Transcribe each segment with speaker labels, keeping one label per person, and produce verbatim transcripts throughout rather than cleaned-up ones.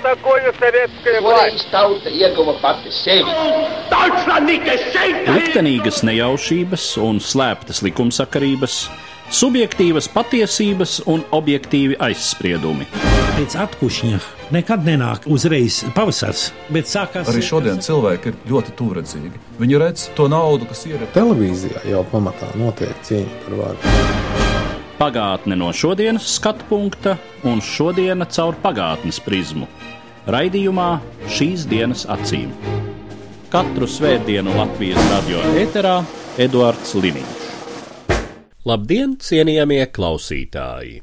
Speaker 1: такое советская власть?
Speaker 2: Liktenīgas nejaušības un slēptas likumsakarības, subjektīvas patiesības un objektīvi aizspriedumi.
Speaker 3: Pēc atkušņa nekad nenāk uzreiz pavasars, bet sākās...
Speaker 4: Arī šodien cilvēki ir ļoti tuvredzīgi. Viņi redz to naudu, kas ir...
Speaker 5: Televīzijā jau pamatā notiek cīņa par varu.
Speaker 2: Pagātne no šodienas skatu punkta un šodiena caur pagātnes prizmu. Raidījumā Šīs dienas acīm. Katru svētdienu Latvijas radio ēterā Eduards Liniņš.
Speaker 6: Labdien, cienījamie klausītāji!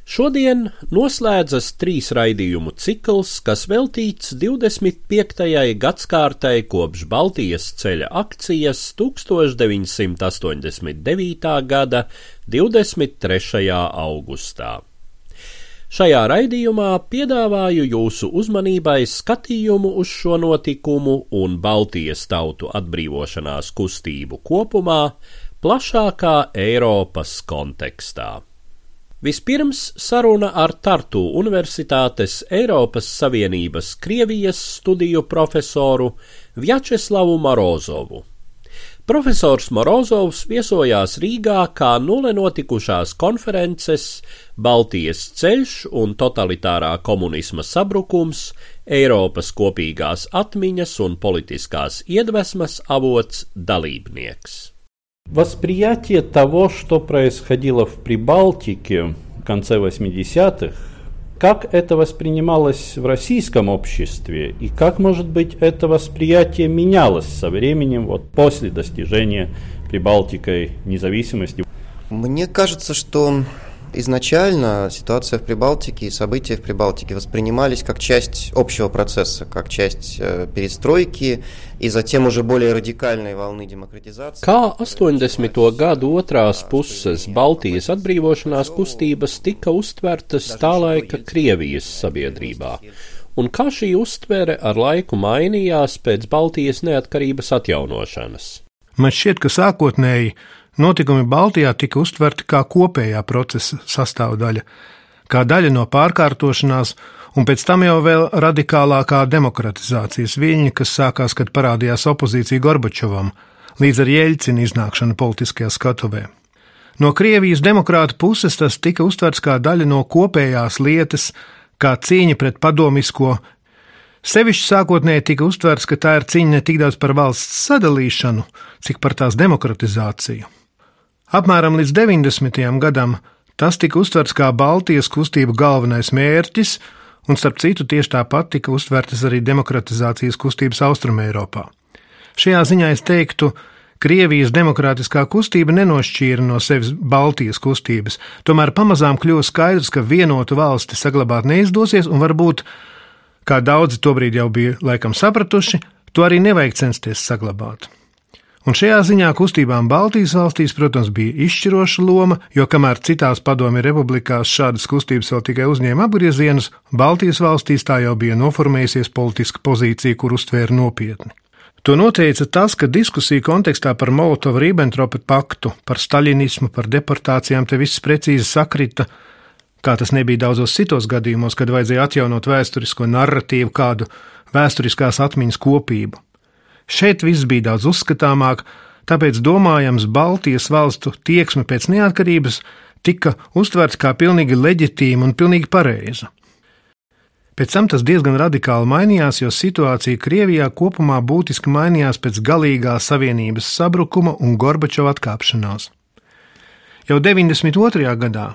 Speaker 6: Šodien noslēdzas trīs raidījumu cikls, kas veltīts divdesmit piektajai gadskārtai kopš Baltijas ceļa akcijas tūkstoš deviņsimt astoņdesmit devītā gada divdesmit trešajā augustā. Šajā raidījumā piedāvāju jūsu uzmanībai skatījumu uz šo notikumu un Baltijas tautu atbrīvošanās kustību kopumā, plašākā Eiropas kontekstā. Vispirms saruna ar Tartu Universitātes Eiropas Savienības Krievijas studiju profesoru Vjačeslavu Morozovu. Profesors Morozovs viesojās Rīgā kā nulle notikušās konferences Baltijas ceļš un totalitārā komunisma sabrukums, Eiropas kopīgās atmiņas un politiskās iedvesmas avots dalībnieks.
Speaker 7: Восприятие того, что происходило в Прибалтике в конце восьмидесятых, как это воспринималось в российском обществе и как, может быть, это восприятие менялось со временем, вот после достижения Прибалтикой независимости?
Speaker 8: Мне кажется, что изначально ситуация в Прибалтике и события в Прибалтике воспринимались как часть общего процесса, как часть э, перестройки и затем уже более радикальной волны демократизации.
Speaker 6: Kā astoņdesmito gadu otrās puses Baltijas atbrīvošanās kustības tika uztvertas tā laika Krievijas sabiedrībā, un kā šī uztvere ar laiku mainījās pēc Baltijas neatkarības atjaunošanas?
Speaker 9: Man šķiet, ka sākotnēji notikumi Baltijā tika uztverti kā kopējā procesa sastāvdaļa, kā daļa no pārkārtošanās, un pēc tam jau vēl radikālākā demokratizācijas viļņa, kas sākās, kad parādījās opozīcija Gorbačovam, līdz ar Jeļcina iznākšanu politiskajā skatuvē. No Krievijas demokrāta puses tas tika uztverts kā daļa no kopējās lietas, kā cīņa pret padomisko. Sevišķi sākotnēji tika uztverts, ka tā ir cīņa ne tik daudz par valsts sadalīšanu, cik par tās demokratizāciju. Apmēram līdz deviņdesmitajam gadam tas tika uztverts kā Baltijas kustību galvenais mērķis, un starp citu tieši tāpat tika uztvertas arī demokratizācijas kustības Austrumeiropā. Šajā ziņā es teiktu, Krievijas demokrātiskā kustība nenošķīra no sevis Baltijas kustības, tomēr pamazām kļuva skaidrs, ka vienotu valsti saglabāt neizdosies, un varbūt, kā daudzi tobrīd jau bija laikam sapratuši, to arī nevajag censties saglabāt. Un šajā ziņā kustībām Baltijas valstīs, protams, bija izšķiroša loma, jo kamēr citās padomju republikās šādas kustības vēl tikai uzņēma apgriezienus, Baltijas valstīs tā jau bija noformējusies politiska pozīcija, kur uztvēra nopietni. To noteica tas, ka diskusija kontekstā par Molotova-Ribbentropa paktu, par staļinismu, par deportācijām te viss precīzi sakrita, kā tas nebija daudzos citos gadījumos, kad vajadzēja atjaunot vēsturisko narratīvu, kādu vēsturiskās atmiņas kopību. Šeit viss bija daudz uzskatāmāk, tāpēc domājams Baltijas valstu tieksme pēc neatkarības tika uztverts kā pilnīgi leģitīma un pilnīgi pareiza. Pēc tam tas diezgan radikāli mainījās, jo situācija Krievijā kopumā būtiski mainījās pēc galīgā savienības sabrukuma un Gorbačova atkāpšanās. Jau deviņdesmit otrajā gadā,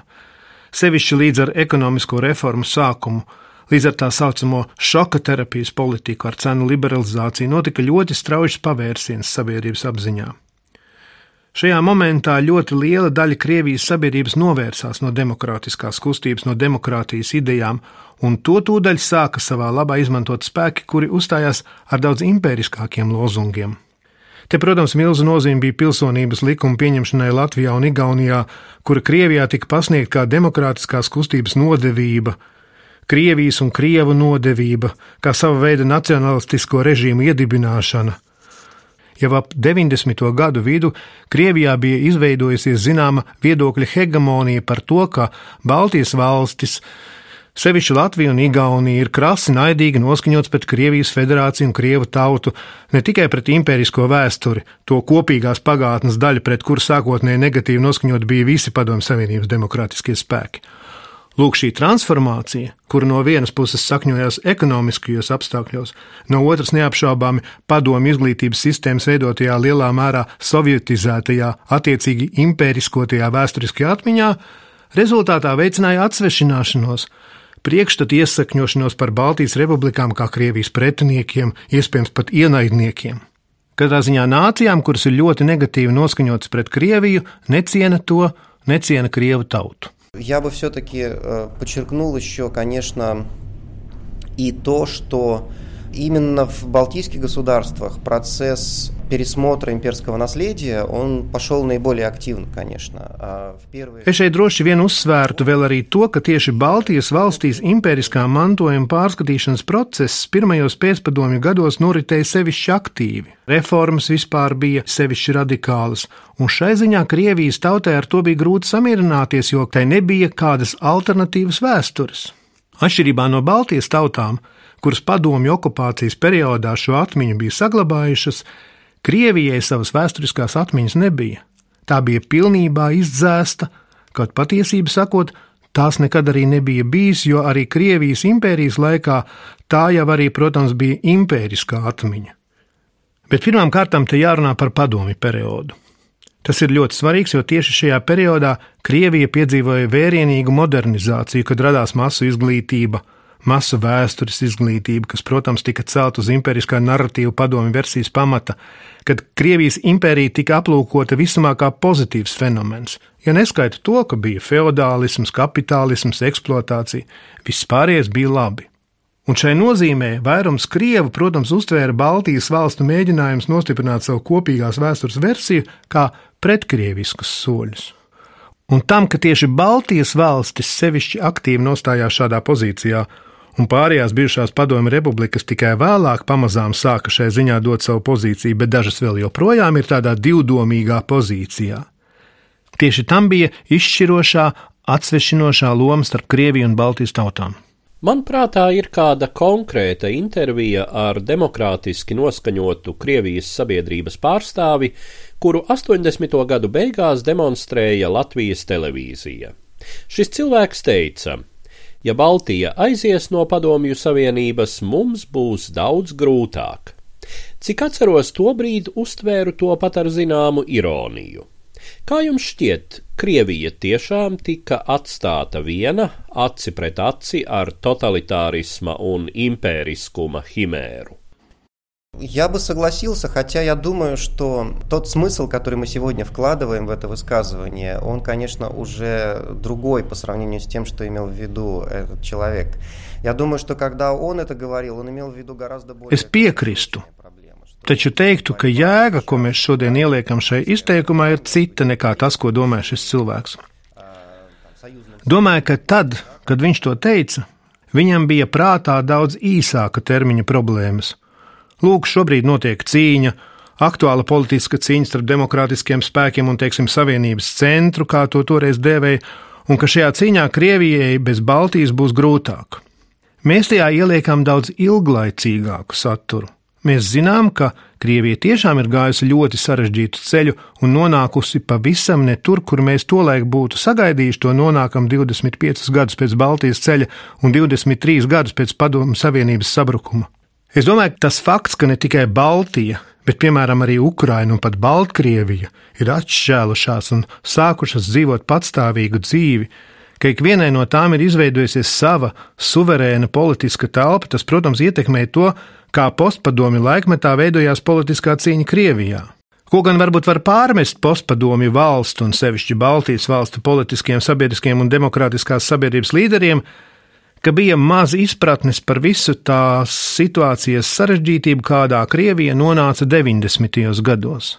Speaker 9: sevišķi līdz ar ekonomisko reformu sākumu, līdz ar tā saucamo šoka terapijas politiku ar cenu liberalizāciju notika ļoti strauji pavērsiens sabiedrības apziņā. Šajā momentā ļoti liela daļa Krievijas sabiedrības novērsās no demokrātiskās kustības, no demokrātijas idejām, un to tūdaļ sāka savā labā izmantot spēki, kuri uzstājās ar daudz impēriskākiem lozungiem. Te, protams, milzu nozīme bija pilsonības likuma pieņemšanai Latvijā un Igaunijā, kura Krievijā tika pasniegta kā demokrātiskās kustības nodevība, Krievijas un Krievu nodevība, kā sava veida nacionalistisko režīmu iedibināšana. Jau ap deviņdesmito gadu vidu Krievijā bija izveidojusies zināma viedokļa hegemonija par to, ka Baltijas valstis Sevišķi Latvija un Igaunija ir krasi naidīgi noskaņots pret Krievijas federāciju un Krievu tautu, ne tikai pret impērisko vēsturi, to kopīgās pagātnes daļu, pret kuru sākotnēji negatīvi noskaņot bija visi Padomju Savienības demokrātiskie spēki. Lūk, šī transformācija, kura no vienas puses sakņojās ekonomiskajos apstākļos, no otras neapšaubāmi Padomju izglītības sistēmas veidotajā lielā mērā sovietizētajā, attiecīgi impēriskotajā vēsturiskajā atmiņā, rezultātā veicināja atsvešināšanos, priekšstatu iesakņošanos par Baltijas republikām kā Krievijas pretiniekiem, iespējams pat ienaidniekiem. Katrā ziņā nācijām, kuras ir ļoti negatīvi noskaņotas pret Krieviju, neciena to, neciena Krievu tautu.
Speaker 8: Я бы все-таки подчеркнул еще, конечно, и то, что именно в балтийских государствах процесс пересмотра имперского наследия, он пошел наиболее активно, конечно. Первые...
Speaker 9: Es šeit droši vien uzsvērtu vēl arī to, ka tieši Baltijas valstīs impēriskā mantojuma pārskatīšanas process pirmajos pēcpadomju gados noritēja sevišķi aktīvi. Reformas vispār bija sevišķi radikālas, un šai ziņā Krievijas tautai ar to bija grūti samierināties, jo tai nebija kādas alternatīvas vēstures. Atšķirībā no Baltijas tautām, kuras padomju okupācijas periodā šo atmiņu bija saglabājušas, Krievijai savas vēsturiskās atmiņas nebija. Tā bija pilnībā izdzēsta, kaut patiesību sakot, tās nekad arī nebija bijis, jo arī Krievijas impērijas laikā tā jau arī, protams, bija impēriskā atmiņa. Bet pirmām kārtām te jārunā par padomju periodu. Tas ir ļoti svarīgs, jo tieši šajā periodā Krievija piedzīvoja vērienīgu modernizāciju, kad radās masu izglītība, masu vēstures izglītība, kas, protams, tika celt uz impēriskā narratīva padomju versijas pamata, kad Krievijas impērija tika aplūkota visumā kā pozitīvs fenomens, ja neskaita to, ka bija feodālisms, kapitālisms, eksploatācija, viss pārējais bija labi. Un šai nozīmē vairums Krievu, protams, uztvēra Baltijas valstu mēģinājums nostiprināt savu kopīgās vēstures versiju kā pretkrieviskus soļus. Un tam, ka tieši Baltijas valstis sevišķi aktīvi nostājās šādā pozīcijā, un pārējās bijušās padomju republikas tikai vēlāk pamazām sāka šai ziņā dot savu pozīciju, bet dažas vēl joprojām ir tādā divdomīgā pozīcijā. Tieši tam bija izšķirošā, atsvešinošā loma starp Krieviju un Baltijas tautām.
Speaker 6: Man prātā ir kāda konkrēta intervija ar demokrātiski noskaņotu Krievijas sabiedrības pārstāvi, kuru astoņdesmito gadu beigās demonstrēja Latvijas televīzija. Šis cilvēks teica: ja Baltija aizies no Padomju Savienības, mums būs daudz grūtāk. Cik atceros, tobrīd uztvēru to pat ar zināmu ironiju. Kā jums šķiet, Krievija tiešām tika atstāta viena, aci pret aci ar тоталитаризма un империскума химеру?
Speaker 8: Я бы согласился, хотя я думаю, что тот смысл, который мы сегодня вкладываем в это высказывание, он, конечно, уже другой по сравнению с тем, что имел в виду этот человек. Я думаю, что когда он это говорил, он имел в виду гораздо более...
Speaker 9: Es piekristu, taču teiktu, ka jēga, ko mēs šodien ieliekam šai izteikumā, ir cita nekā tas, ko domā šis cilvēks. Domāju, ka tad, kad viņš to teica, viņam bija prātā daudz īsāka termiņa problēmas. Lūk, šobrīd notiek cīņa, aktuāla politiska cīņa starp demokrātiskiem spēkiem un, teiksim, savienības centru, kā to toreiz dēvēja, un ka šajā cīņā Krievijai bez Baltijas būs grūtāk. Mēs tajā ieliekam daudz ilglaicīgāku saturu. Mēs zinām, ka Krievija tiešām ir gājusi ļoti sarežģītu ceļu un nonākusi pavisam ne tur, kur mēs tolaik būtu sagaidījuši, to nonākam divdesmit piecus gadus pēc Baltijas ceļa un divdesmit trīs gadus pēc Padomju Savienības sabrukuma. Es domāju, ka tas fakts, ka ne tikai Baltija, bet, piemēram, arī Ukraina un pat Baltkrievija ir atšķēlušās un sākušas dzīvot patstāvīgu dzīvi, ka ikvienai no tām ir izveidojusies sava suverēna politiska telpa, tas, protams, ietekmē to, kā postpadomju laikmetā veidojās politiskā cīņa Krievijā. Ko gan varbūt var pārmest postpadomju valstu un sevišķi Baltijas valstu politiskiem, sabiedriskiem un demokrātiskās sabiedrības līderiem, ka bija maz izpratnes par visu tās situācijas sarežģītību, kādā Krievija nonāca deviņdesmitajos gados.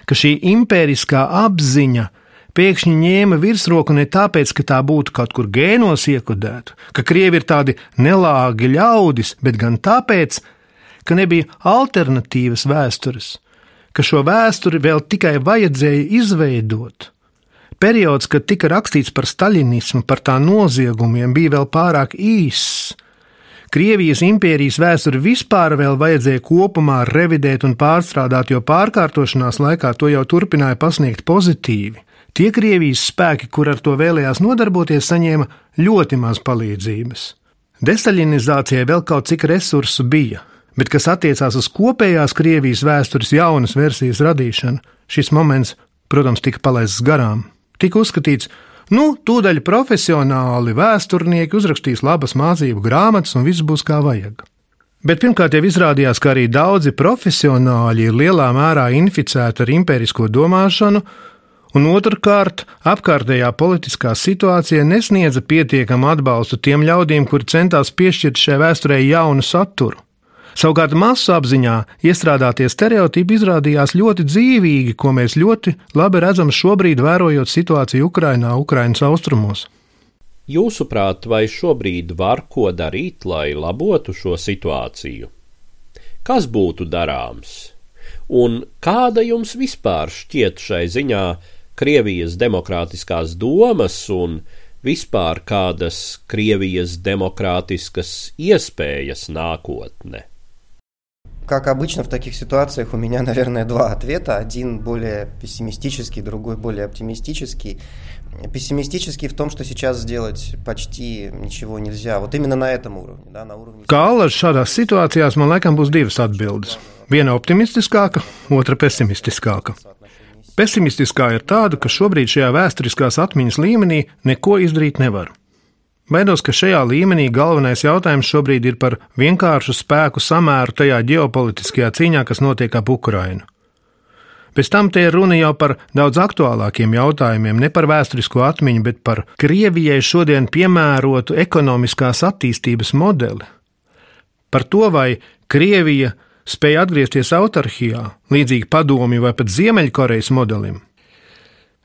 Speaker 9: Ka šī impēriskā apziņa pēkšņi ņēma virsroku ne tāpēc, ka tā būtu kaut kur gēnos iekodēta, ka Krievi ir tādi nelāgi ļaudis, bet gan tāpēc, ka nebija alternatīvas vēstures, ka šo vēsturi vēl tikai vajadzēja izveidot. Periods, kad tika rakstīts par staļinismu, par tā noziegumiem, bija vēl pārāk īss. Krievijas impērijas vēsturi vispār vēl vajadzēja kopumā revidēt un pārstrādāt, jo pārkārtošanās laikā to jau turpināja pasniegt pozitīvi. Tie Krievijas spēki, kur ar to vēlējās nodarboties, saņēma ļoti maz palīdzības. Destaļinizācijai vēl kaut cik resursu bija, bet kas attiecās uz kopējās Krievijas vēstures jaunas versijas radīšanu, šis moments, protams, tika palaists garām. Tika uzskatīts, nu, tūdaļ profesionāli vēsturnieki uzrakstīs labas mācību grāmatas un viss būs kā vajag. Bet pirmkārt jau izrādījās, ka arī daudzi profesionāļi ir lielā mērā inficēti ar impērisko domāšanu, un otrkārt, apkārtējā politiskā situācija nesniedza pietiekamu atbalstu tiem ļaudīm, kuri centās piešķirt šai vēsturē jaunu saturu. Savukārt masu apziņā iestrādātie stereotipi izrādījās ļoti dzīvīgi, ko mēs ļoti labi redzam šobrīd, vērojot situāciju Ukrainā, Ukrainas austrumos.
Speaker 6: Jūsuprāt, vai šobrīd var ko darīt, lai labotu šo situāciju? Kas būtu darāms? Un kāda jums vispār šķiet šai ziņā Krievijas demokrātiskās domas un vispār kādas Krievijas demokrātiskas iespējas nākotne?
Speaker 8: Как обычно в таких ситуациях у меня, наверное, два ответа. Один более пессимистический, другой более оптимистический. Пессимистический в том, что сейчас сделать почти ничего нельзя. Вот именно на этом уровне. Да, на уровне...
Speaker 9: Kā Allaž šādās situācijās, man laikam būs divas atbildes. Viena optimistiskāka, otra pesimistiskāka. Pesimistiskā ir tāda, ka šobrīd šajā vēsturiskās atmiņas līmenī neko izdarīt nevar. Baidos, ka šajā līmenī galvenais jautājums šobrīd ir par vienkāršu spēku samēru tajā ģeopolitiskajā cīņā, kas notiek ap Ukrainu. Pēc tam te ir runa jau par daudz aktuālākiem jautājumiem, ne par vēsturisko atmiņu, bet par Krievijai šodien piemērotu ekonomiskās attīstības modeli. Par to, vai Krievija spēja atgriezties autarhijā, līdzīgi Padomju vai pat Ziemeļkorejas modelim.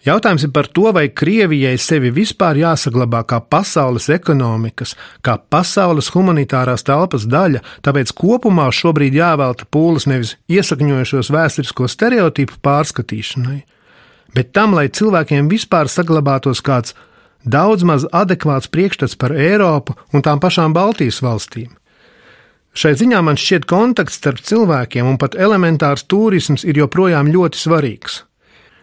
Speaker 9: Jautājums ir par to, vai Krievijai sevi vispār jāsaglabā kā pasaules ekonomikas, kā pasaules humanitārās telpas daļa, tāpēc kopumā šobrīd jāvelta pūles nevis iesakņojušos vēsturisko stereotipu pārskatīšanai, bet tam, lai cilvēkiem vispār saglabātos kāds daudz maz adekvāts priekšstats par Eiropu un tām pašām Baltijas valstīm. Šai ziņā man šķiet kontakts starp cilvēkiem un pat elementārs turisms ir joprojām ļoti svarīgs.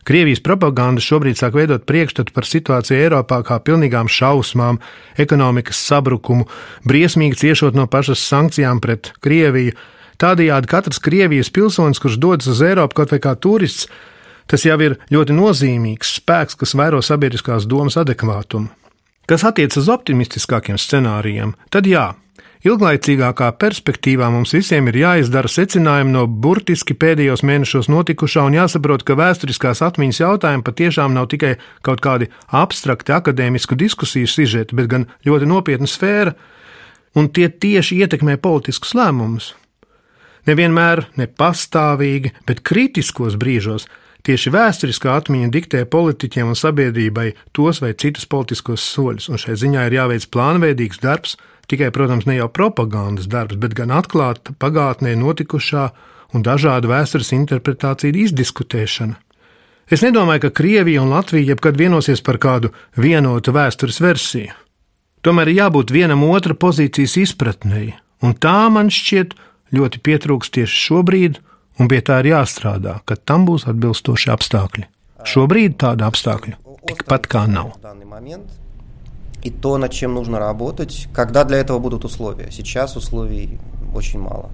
Speaker 9: Krievijas propaganda šobrīd sāk veidot priekšstatu par situāciju Eiropā kā pilnīgām šausmām, ekonomikas sabrukumu, briesmīgi ciešot no pašas sankcijām pret Krieviju. Tādējādi katrs Krievijas pilsonis, kurš dodas uz Eiropu kaut vai kā turists, tas jau ir ļoti nozīmīgs spēks, kas vēro sabiedriskās domas adekvātumu. Kas attiecas uz optimistiskākiem scenārijiem, tad jā. Ilglaicīgākā perspektīvā mums visiem ir jāizdara secinājumi no burtiski pēdējos mēnešos notikušā un jāsaprot, ka vēsturiskās atmiņas jautājumi patiešām nav tikai kaut kādi abstrakti akadēmisku diskusiju sižeti, bet gan ļoti nopietna sfēra, un tie tieši ietekmē politiskus lēmumus. Nevienmēr, ne pastāvīgi, bet kritiskos brīžos tieši vēsturiskā atmiņa diktē politiķiem un sabiedrībai tos vai citus politiskos soļus, un šai ziņā ir jāveic plānveidīgs darbs, tikai, protams, ne jau propagandas darbs, bet gan atklāta pagātnē notikušā un dažādu vēstures interpretāciju izdiskutēšana. Es nedomāju, ka Krievija un Latvija jebkad vienosies par kādu vienotu vēstures versiju. Tomēr ir jābūt vienam otra pozīcijas izpratnei, un tā man šķiet ļoti pietrūks tieši šobrīd, un pie tā ir jāstrādā, kad tam būs atbilstoši apstākļi. Šobrīd tāda apstākļu tikpat kā nav.
Speaker 8: И то, над чем нужно работать, когда для этого будут условия. Сейчас условий очень мало.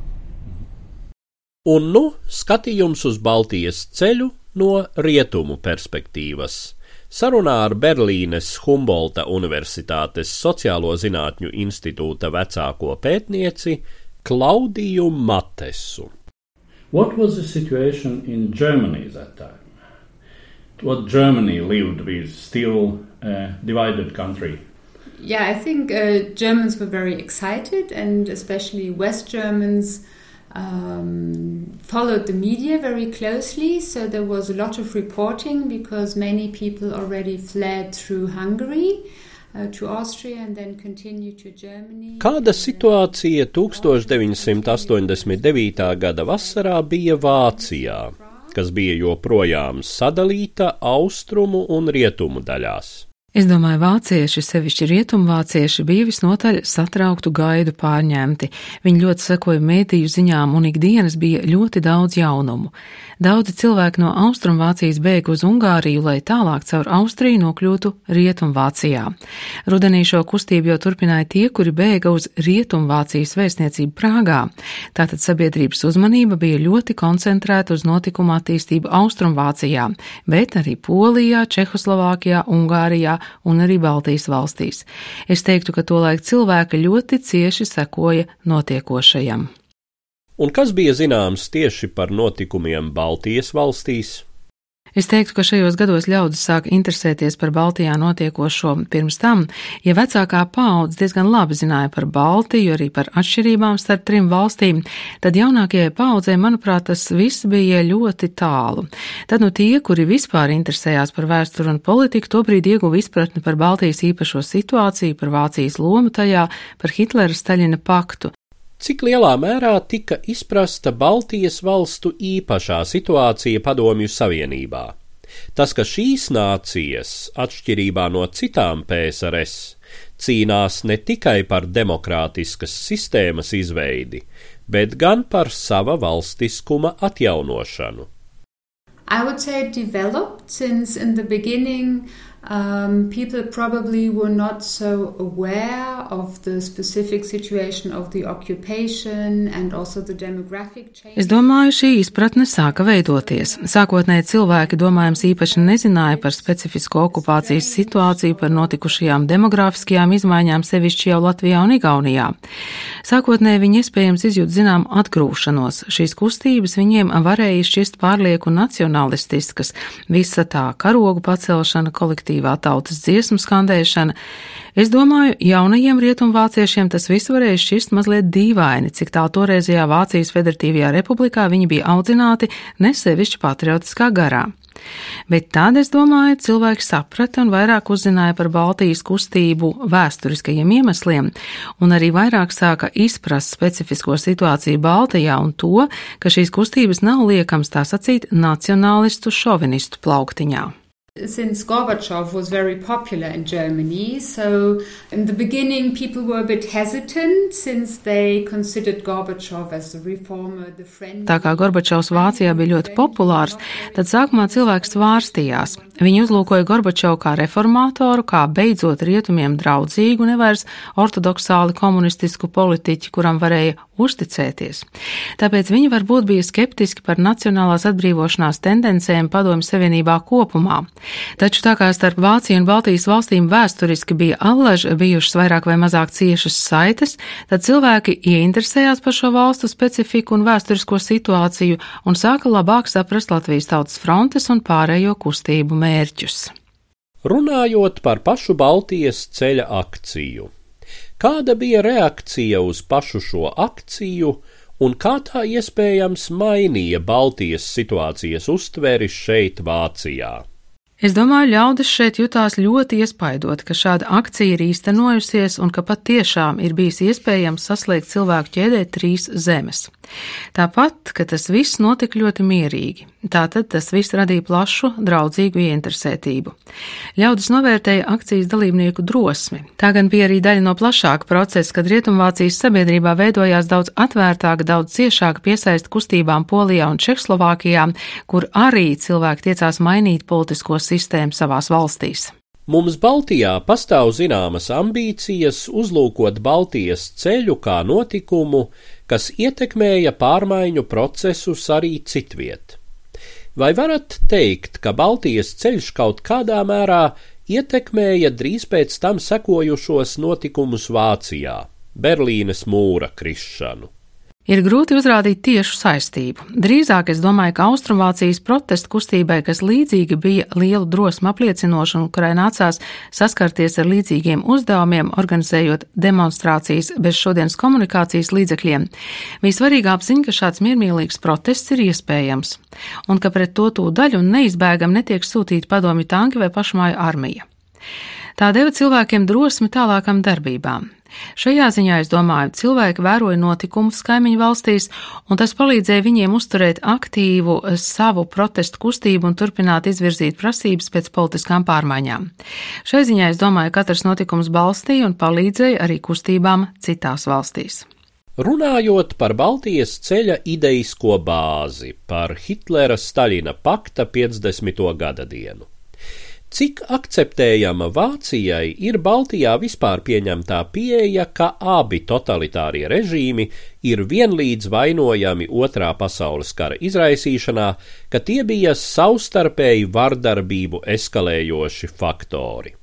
Speaker 6: Un nu skatījums uz Baltijas ceļu no rietumu perspektīvas. Sarunā ar Berlīnes Humbolta Universitātes Sociālo zinātņu institūta vecāko pētnieci Klaudiju Matesu.
Speaker 7: What was the situation in Germany at that time? What Germany lived with still a divided country?
Speaker 10: Yeah, I think uh, Germans were very excited, and especially West Germans um, followed the media very closely. So there was a lot of reporting because many people already fled through Hungary uh, to Austria and then continued to Germany.
Speaker 6: Kāda situācija deviņdesmit astoņdesmit devītā gada vasarā bija Vācijā? kas bija joprojām sadalīta austrumu un rietumu daļās.
Speaker 11: Es domāju, vācieši, sevišķi rietumvācieši, bija visnotaļ satrauktu gaidu pārņemti. Viņi ļoti sekoja mediju ziņām un ikdienas bija ļoti daudz jaunumu. Daudzi cilvēki no Austrumvācijas bēga uz Ungāriju, lai tālāk caur Austriju nokļūtu Rietumvācijā. Rudenī šo kustību jau turpināja tie, kuri bēga uz Rietumvācijas vēstniecību Prāgā. Tātad sabiedrības uzmanība bija ļoti koncentrēta uz notikumu attīstību Austrumvācijā, bet arī Polijā, Čehoslovākijā, Ungārijā un arī Baltijas valstīs. Es teiktu, ka tolaik cilvēki ļoti cieši sekoja notiekošajam.
Speaker 6: Un kas bija zināms tieši par notikumiem Baltijas valstīs?
Speaker 11: Es teiktu, ka šajos gados ļaudis sāk interesēties par Baltijā notiekošo pirms tam, ja vecākā paudze diezgan labi zināja par Baltiju, arī par atšķirībām starp trim valstīm, tad jaunākajai paudzei, manuprāt, tas viss bija ļoti tālu. Tad nu tie, kuri vispār interesējās par vēsturi un politiku, tobrīd ieguva izpratni par Baltijas īpašo situāciju, par Vācijas lomu tajā, par Hitlera Staļina paktu.
Speaker 6: Cik lielā mērā tika izprasta Baltijas valstu īpašā situācija Padomju Savienībā? Tas, ka šīs nācijas, atšķirībā no citām P S R S, cīnās ne tikai par demokrātiskas sistēmas izveidi, bet gan par sava valstiskuma atjaunošanu.
Speaker 10: I would say it developed since in the beginning Um, people probably were not so aware of the specific situation of the occupation and also the demographic change.
Speaker 11: Es domāju, šī izpratne sāka veidoties. Sākotnēji cilvēki, domājams, īpaši nezināja par specifisko okupācijas situāciju, par notikušajām demografiskajām izmaiņām, sevišķi jau Latvijā un Igaunijā. Sākotnēji viņi iespējams izjūt zinām atgrūšanos. Šīs kustības viņiem varēja šķist pārlieku nacionalistiskas, visa tā karogu pacelšana, kolektīva tautas dziesmu skandēšana. Es domāju, jaunajiem rietumvāciešiem tas viss varēja šķist mazliet dīvaini, cik tā toreizajā Vācijas Federatīvajā republikā viņi bija audzināti nesevišķi patriotiskā garā. Bet tad, es domāju, cilvēki saprata un vairāk uzzināja par Baltijas kustību vēsturiskajiem iemesliem, un arī vairāk sāka izprast specifisko situāciju Baltijā un to, ka šīs kustības nav liekams tā sacīt nacionālistu šovinistu plauktiņā.
Speaker 10: Since Gorbachev was very popular in Germany, so in the beginning people were a bit hesitant since they considered Gorbachev as a reformer, the friend.
Speaker 11: Tā kā Gorbačovs Vācijā bija ļoti populārs, tad sākumā cilvēks svārstījās. Viņi uzlūkoja Gorbačovu kā reformātoru, kā beidzot rietumiem draudzīgu, nevairs ortodoksāli komunistisku politiķi, kuram varēja uzticēties. Tāpēc viņi varbūt bija skeptiski par nacionālās atbrīvošanās tendencēm Padomju Savienībā kopumā. Taču tā kā starp Vāciju un Baltijas valstīm vēsturiski bija allaž bijušas vairāk vai mazāk ciešas saites, tad cilvēki ieinteresējās par šo valstu specifiku un vēsturisko situāciju un sāka labāk saprast Latvijas Tautas frontes un pārējo kustību mērķus.
Speaker 6: Runājot par pašu Baltijas ceļa akciju, kāda bija reakcija uz pašu šo akciju un kā tā iespējams mainīja Baltijas situācijas uztveri šeit Vācijā?
Speaker 11: Es domāju, ļaudis šeit jutās ļoti iespaidoti, ka šāda akcija ir īstenojusies un ka pat tiešām ir bijis iespējams saslēgt cilvēku ķēdē trīs zemes. Tāpat, ka tas viss notika ļoti mierīgi. Tātad tas viss radīja plašu, draudzīgu ieinteresētību. Ļaudis novērtēja akcijas dalībnieku drosmi. Tā gan bija arī daļa no plašāka procesa, kad Rietumvācijas sabiedrībā veidojās daudz atvērtāka, daudz ciešāka piesaista kustībām Polijā un Čehoslovākijā, kur arī cilvēki tiecās mainīt politisko sistēmu savās valstīs.
Speaker 6: Mums Baltijā pastāv zināmas ambīcijas uzlūkot Baltijas ceļu kā notikumu, kas ietekmēja pārmaiņu procesus arī citviet. Vai varat teikt, ka Baltijas ceļš kaut kādā mērā ietekmēja drīz pēc tam sekojušos notikumus Vācijā, Berlīnes mūra krišanu?
Speaker 11: Ir grūti uzrādīt tiešu saistību. Drīzāk es domāju, ka Austrumvācijas protestu kustībai, kas līdzīgi bija lielu drosmu apliecinoša un kurai nācās saskarties ar līdzīgiem uzdevumiem, organizējot demonstrācijas bez šodienas komunikācijas līdzekļiem, bija svarīga apziņa, ka šāds miermīlīgs protests ir iespējams, un ka pret to tūdaļ un neizbēgam netiek sūtīti padomju tanki vai pašmāju armija. Tā deva cilvēkiem drosmi tālākām darbībām. Šajā ziņā, es domāju, cilvēki vēroja notikumus kaimiņu valstīs, un tas palīdzēja viņiem uzturēt aktīvu savu protestu kustību un turpināt izvirzīt prasības pēc politiskām pārmaiņām. Šai ziņā, es domāju, katrs notikums balstīja un palīdzēja arī kustībām citās valstīs.
Speaker 6: Runājot par Baltijas ceļa ideisko bāzi, par Hitlera-Staļina pakta piecdesmito gada dienu. Cik akceptējama Vācijai ir Baltijā vispār pieņemtā pieeja, ka abi totalitārie režīmi ir vienlīdz vainojami Otrā pasaules kara izraisīšanā, ka tie bija savstarpēji vardarbību eskalējoši faktori?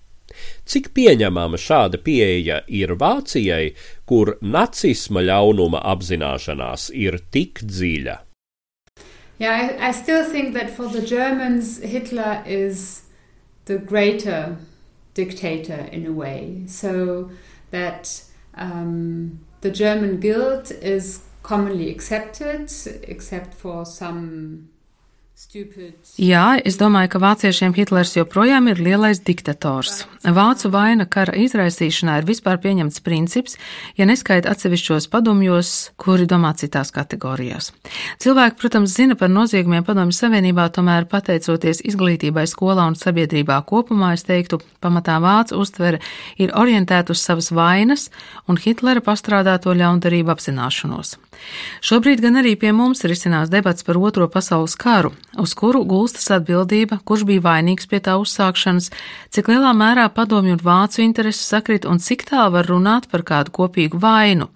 Speaker 6: Cik pieņemama šāda pieeja ir Vācijai, kur nacisma ļaunuma apzināšanās ir tik dziļa?
Speaker 10: Yeah, I, I still think that for the Germans, Hitler is the greater dictator in a way, so that um, the German guilt is commonly accepted, except for some stupid...
Speaker 11: Jā, es domāju, ka vāciešiem Hitlers joprojām ir lielais diktators. Vācu vaina kara izraisīšanā ir vispār pieņemts princips, ja neskaita atsevišķos padomjos, kuri domā citās kategorijās. Cilvēki, protams, zina par noziegumiem Padomju Savienībā, tomēr pateicoties izglītībai skolā un sabiedrībā kopumā, es teiktu, pamatā vācu uztvere ir orientēta uz savas vainas un Hitlera pastrādāto ļaundarību apzināšanos. Šobrīd gan arī pie mums risinās debats par Otro pasaules karu, uz kuru gulstas atbildība, kurš bija vainīgs pie tā uzsākšanas, cik lielā mērā padomju un vācu intereses sakrit un cik tā var runāt par kādu kopīgu vainu.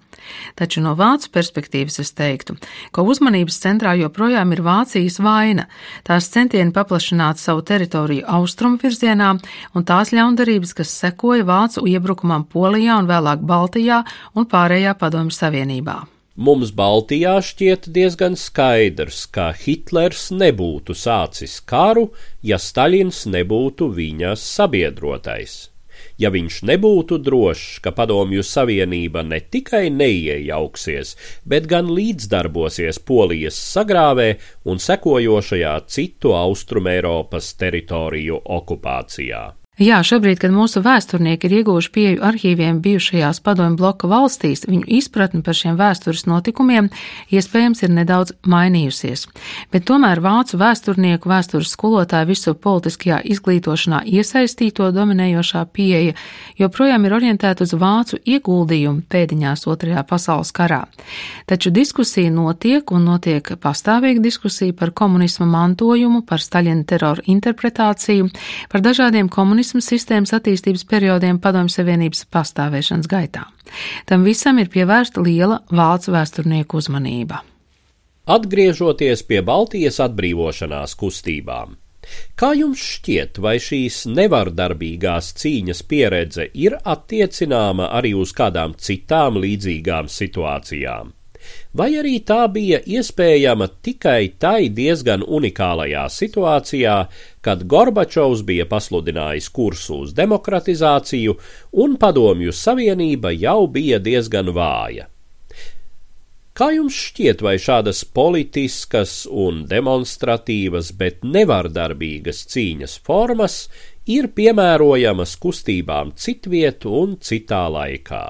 Speaker 11: Taču no vācu perspektīvas es teiktu, ka uzmanības centrā joprojām ir Vācijas vaina, tās centieni paplašināt savu teritoriju austrumu virzienā un tās ļaundarības, kas sekoja vācu iebrukumam Polijā un vēlāk Baltijā un pārējā Padomju Savienībā.
Speaker 6: Mums Baltijā šķiet diezgan skaidrs, ka Hitlers nebūtu sācis karu, ja Staļins nebūtu viņa sabiedrotais. Ja viņš nebūtu drošs, ka Padomju Savienība ne tikai neiejauksies, bet gan līdzdarbosies Polijas sagrāvē un sekojošajā citu Austrumēropas teritoriju okupācijā.
Speaker 11: Jā, šobrīd, kad mūsu vēsturnieki ir ieguvuši pieeju arhīviem bijušajās padomju bloka valstīs, viņu izpratne par šiem vēstures notikumiem iespējams ir nedaudz mainījusies. Bet tomēr vācu vēsturnieku vēstures skolotāju visu politiskajā izglītošanā iesaistīto dominējošā pieeja joprojām ir orientēta uz vācu ieguldījumu pēdiņās Otrajā pasaules karā. Taču diskusija notiek un notiek pastāvīga diskusija par komunisma mantojumu, par Staļina terora interpretāciju, par dažādiem komunismu sistēmas attīstības periodiem Padomju Savienības pastāvēšanas gaitā. Tam visam ir pievērsta liela vācu vēsturnieku uzmanība.
Speaker 6: Atgriežoties pie Baltijas atbrīvošanās kustībām, kā jums šķiet, vai šīs nevardarbīgās cīņas pieredze ir attiecināma arī uz kādām citām līdzīgām situācijām? Vai arī tā bija iespējama tikai tai diezgan unikālajā situācijā, kad Gorbačovs bija pasludinājis kursu uz demokratizāciju un Padomju Savienība jau bija diezgan vāja? Kā jums šķiet, vai šādas politiskas un demonstratīvas, bet nevardarbīgas cīņas formas ir piemērojamas kustībām citviet un citā laikā?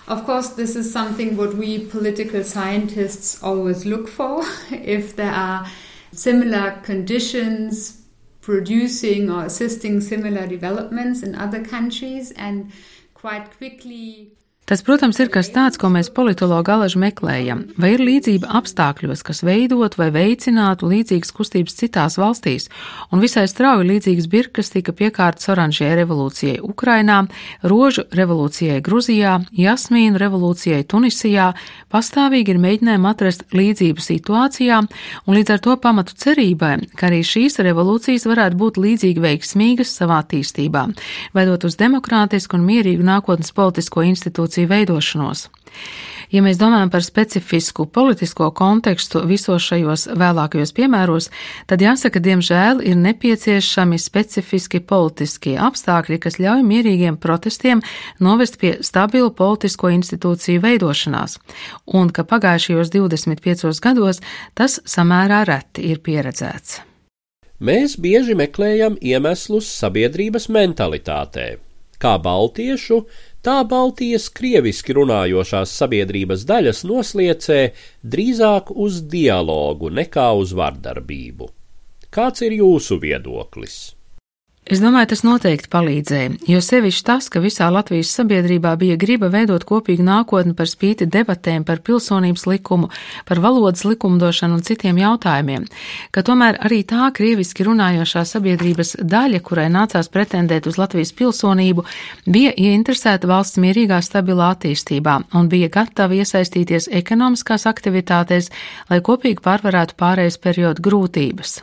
Speaker 10: Of course, this is something what we political scientists always look for. If there are similar conditions producing or assisting similar developments in other countries, and quite quickly...
Speaker 11: Tas, protams, ir kas tāds, ko mēs politologi alaži meklējam, vai ir līdzība apstākļos, kas veidot vai veicinātu līdzīgas kustības citās valstīs, un visai strauji līdzīgas birkas tika piekārtas oranžajai revolūcijai Ukrainā, rožu revolūcijai Gruzijā, jasmīnu revolūcijai Tunisijā, pastāvīgi ir mēģinājumi atrast līdzību situācijā, un līdz ar to pamatu cerībai, ka arī šīs revolūcijas varētu būt līdzīgi veiksmīgas savā attīstībā, veidot uz demokrātisku un mierīgu nākotnes politisko institūciju veidošanos. Ja mēs domājam par specifisku politisko kontekstu visos šajos vēlākajos piemēros, tad jāsaka, diemžēl ir nepieciešami specifiski politiskie apstākļi, kas ļauj mierīgiem protestiem novest pie stabilu politisko institūciju veidošanās, un ka pagājušajos divdesmit piecos gados tas samērā reti ir pieredzēts.
Speaker 6: Mēs bieži meklējam iemeslus sabiedrības mentalitātē, kā baltiešu, Tā Baltijas krieviski runājošās sabiedrības daļas nosliecē drīzāk uz dialogu nekā uz vardarbību. Kāds ir jūsu viedoklis?
Speaker 11: Es domāju, tas noteikti palīdzēja, jo sevišķi tas, ka visā Latvijas sabiedrībā bija griba veidot kopīgu nākotni par spīti debatēm par pilsonības likumu, par valodas likumdošanu un citiem jautājumiem, ka tomēr arī tā krieviski runājošā sabiedrības daļa, kurai nācās pretendēt uz Latvijas pilsonību, bija ieinteresēta valsts mierīgā stabilā attīstībā un bija gatava iesaistīties ekonomiskās aktivitātēs, lai kopīgi pārvarētu pārējais periodu grūtības.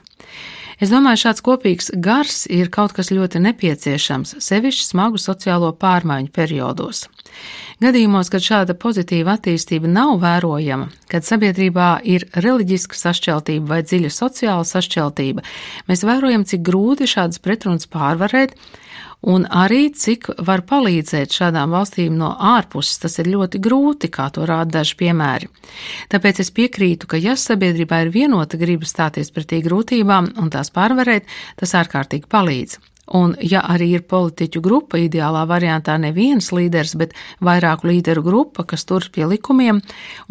Speaker 11: Es domāju, šāds kopīgs gars ir kaut kas ļoti nepieciešams, sevišķi smagu sociālo pārmaiņu periodos. Gadījumos, kad šāda pozitīva attīstība nav vērojama, kad sabiedrībā ir reliģiska sašķeltība vai dziļa sociāla sašķeltība, mēs vērojam, cik grūti šādas pretrunas pārvarēt, un arī cik var palīdzēt šādām valstīm no ārpuses. Tas ir ļoti grūti, kā to rāda daži piemēri. Tāpēc es piekrītu, ka ja sabiedrībā ir vienota griba stāties pretī grūtībām un tās pārvarēt, tas ārkārtīgi palīdz. Un ja arī ir politiķu grupa, ideālā variantā neviens līderis, bet vairāku līderu grupa, kas tur pie likumiem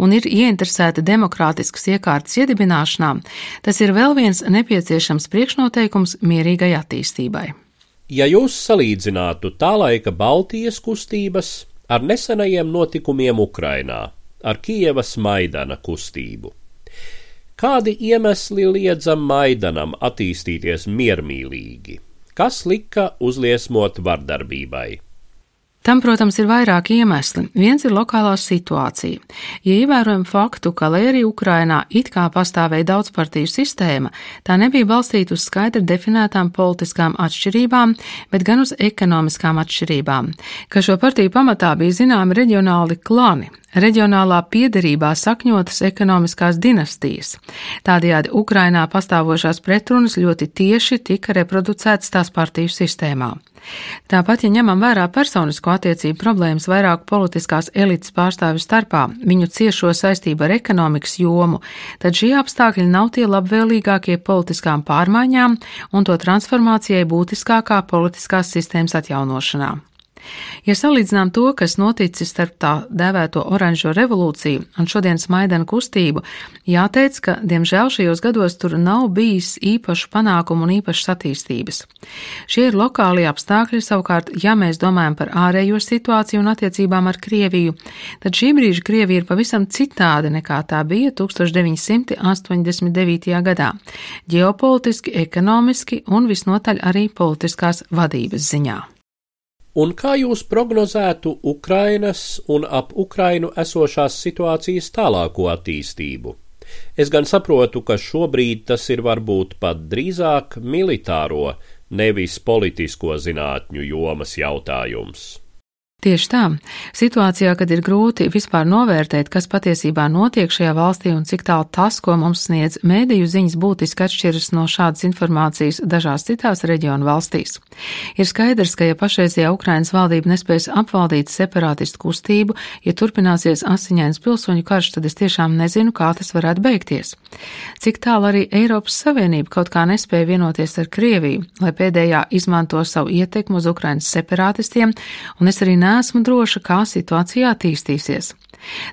Speaker 11: un ir ieinteresēta demokrātiskas iekārtas iedibināšanā, tas ir vēl viens nepieciešams priekšnoteikums mierīgai attīstībai.
Speaker 6: Ja jūs salīdzinātu tā laika Baltijas kustības ar nesenajiem notikumiem Ukrainā, ar Kijevas Maidana kustību, kādi iemesli liedza Maidanam attīstīties miermīlīgi? Kas lika uzliesmot vardarbībai?
Speaker 11: Tam, protams, ir vairāki iemesli. Viens ir lokālā situācija. Ja ievērojam faktu, ka, lai arī Ukrainā it kā pastāvēja daudzpartiju sistēma, tā nebija balstīta uz skaidri definētām politiskām atšķirībām, bet gan uz ekonomiskām atšķirībām, ka šo partiju pamatā bija zināmi reģionāli klani, reģionālā piederībā sakņotas ekonomiskās dinastijas. Tādējādi Ukrainā pastāvošās pretrunas ļoti tieši tika reproducētas tās partiju sistēmā. Tāpat, ja ņemam vērā personisko attiecību problēmas vairāku politiskās elites pārstāvju starpā, viņu ciešo saistību ar ekonomikas jomu, tad šie apstākļi nav tie labvēlīgākie politiskām pārmaiņām un to transformācijai būtiskākā politiskās sistēmas atjaunošanā. Ja salīdzinām to, kas noticis starp tā dēvēto oranžo revolūciju un šodienas Maidana kustību, jāteic, ka, diemžēl, šajos gados tur nav bijis īpašu panākumu un īpašas attīstības. Šie ir lokālie apstākļi, savukārt, ja mēs domājam par ārējo situāciju un attiecībām ar Krieviju, tad šī brīža Krievija ir pavisam citāda nekā tā bija tūkstoš deviņi simti astoņdesmit devītajā gadā, ģeopolitiski, ekonomiski un visnotaļ arī politiskās vadības ziņā.
Speaker 6: Un kā jūs prognozētu Ukrainas un ap Ukrainu esošās situācijas tālāko attīstību? Es gan saprotu, ka šobrīd tas ir varbūt pat drīzāk militāro, nevis politisko zinātņu jomas jautājums.
Speaker 11: Tieši tā. Situācijā, kad ir grūti vispār novērtēt, kas patiesībā notiek šajā valstī un cik tālu tas, ko mums sniedz mēdīju ziņas, būtiski atšķiras no šādas informācijas dažās citās reģionu valstīs. Ir skaidrs, ka ja pašreizajā Ukrainas valdība nespēs apvaldīt separātistu kustību, ja turpināsies asiņains pilsoņu karš, tad es tiešām nezinu, kā tas varētu beigties. Cik tālu arī Eiropas Savienība kaut kā nespēja vienoties ar Krieviju, lai pēdējā izmanto savu ietekmu uz Ukrainas separātistiem, un es arī neesmu droša, kā situācija attīstīsies.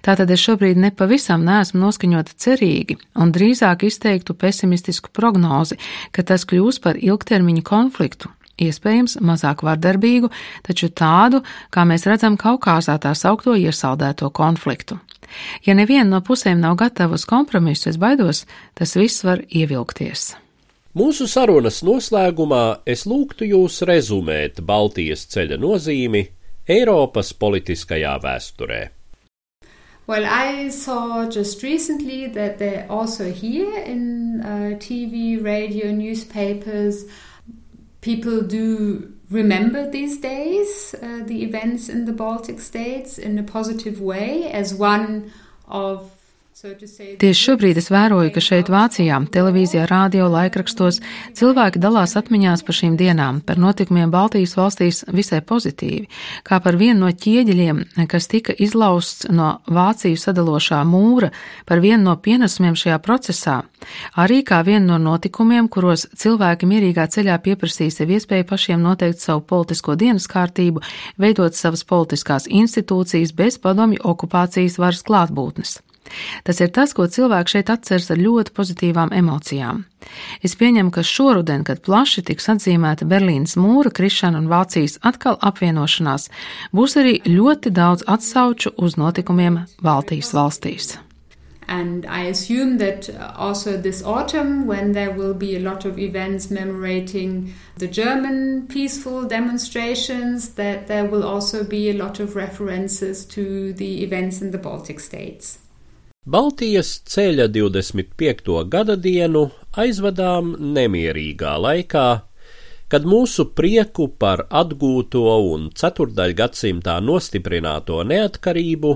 Speaker 11: Tātad es šobrīd nepavisam neesmu noskaņota cerīgi un drīzāk izteiktu pesimistisku prognozi, ka tas kļūs par ilgtermiņu konfliktu, iespējams mazāk vardarbīgu, taču tādu, kā mēs redzam Kaukāzā tā saukto iesaldēto konfliktu. Ja neviena no pusēm nav gatava uz kompromisu, es baidos, tas viss var ievilkties.
Speaker 6: Mūsu sarunas noslēgumā es lūgtu jūs rezumēt Baltijas ceļa nozīmi Eiropas politiskajā vēsturē.
Speaker 10: Well, I saw just recently that they're also here in uh, T V, radio, newspapers. People do remember these days uh, the events in the Baltic states in a positive way as one of
Speaker 11: Tieši šobrīd es vēroju, ka šeit Vācijā, televīzijā, rādio, laikrakstos cilvēki dalās atmiņās par šīm dienām, par notikumiem Baltijas valstīs visai pozitīvi, kā par vienu no ķieģeļiem, kas tika izlausts no Vāciju sadalošā mūra, par vienu no pienesumiem šajā procesā, arī kā vienu no notikumiem, kuros cilvēki mierīgā ceļā pieprasīja sev iespēju pašiem noteikt savu politisko dienas kārtību, veidot savas politiskās institūcijas bez padomju okupācijas varas klātbūtnes. Tas ir tas, ko cilvēki šeit atceras ar ļoti pozitīvām emocijām. Es pieņemu, ka šoruden, kad plaši tiks atzīmēta Berlīnas mūra krišana un Vācijas atkal apvienošanās, būs arī ļoti daudz atsauču uz notikumiem Baltijas valstīs.
Speaker 10: And I assume that also this autumn, when there will be a lot of events commemorating the German peaceful demonstrations, that there will also be a lot of references to the events in the Baltic states.
Speaker 6: Baltijas ceļa divdesmit piekto gada dienu aizvadām nemierīgā laikā, kad mūsu prieku par atgūto un ceturtdaļgadsimtā nostiprināto neatkarību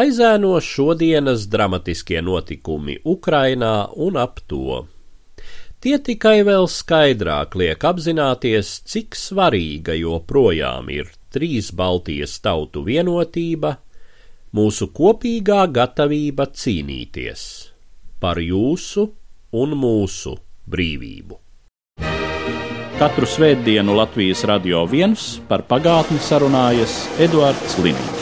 Speaker 6: aizēno šodienas dramatiskie notikumi Ukrainā un ap to. Tie tikai vēl skaidrāk liek apzināties, cik svarīga joprojām ir trīs Baltijas tautu vienotība, mūsu kopīgā gatavība cīnīties par jūsu un mūsu brīvību.
Speaker 2: Katru svētdienu Latvijas Radio viens par pagātni sarunājas Eduards Liniņš.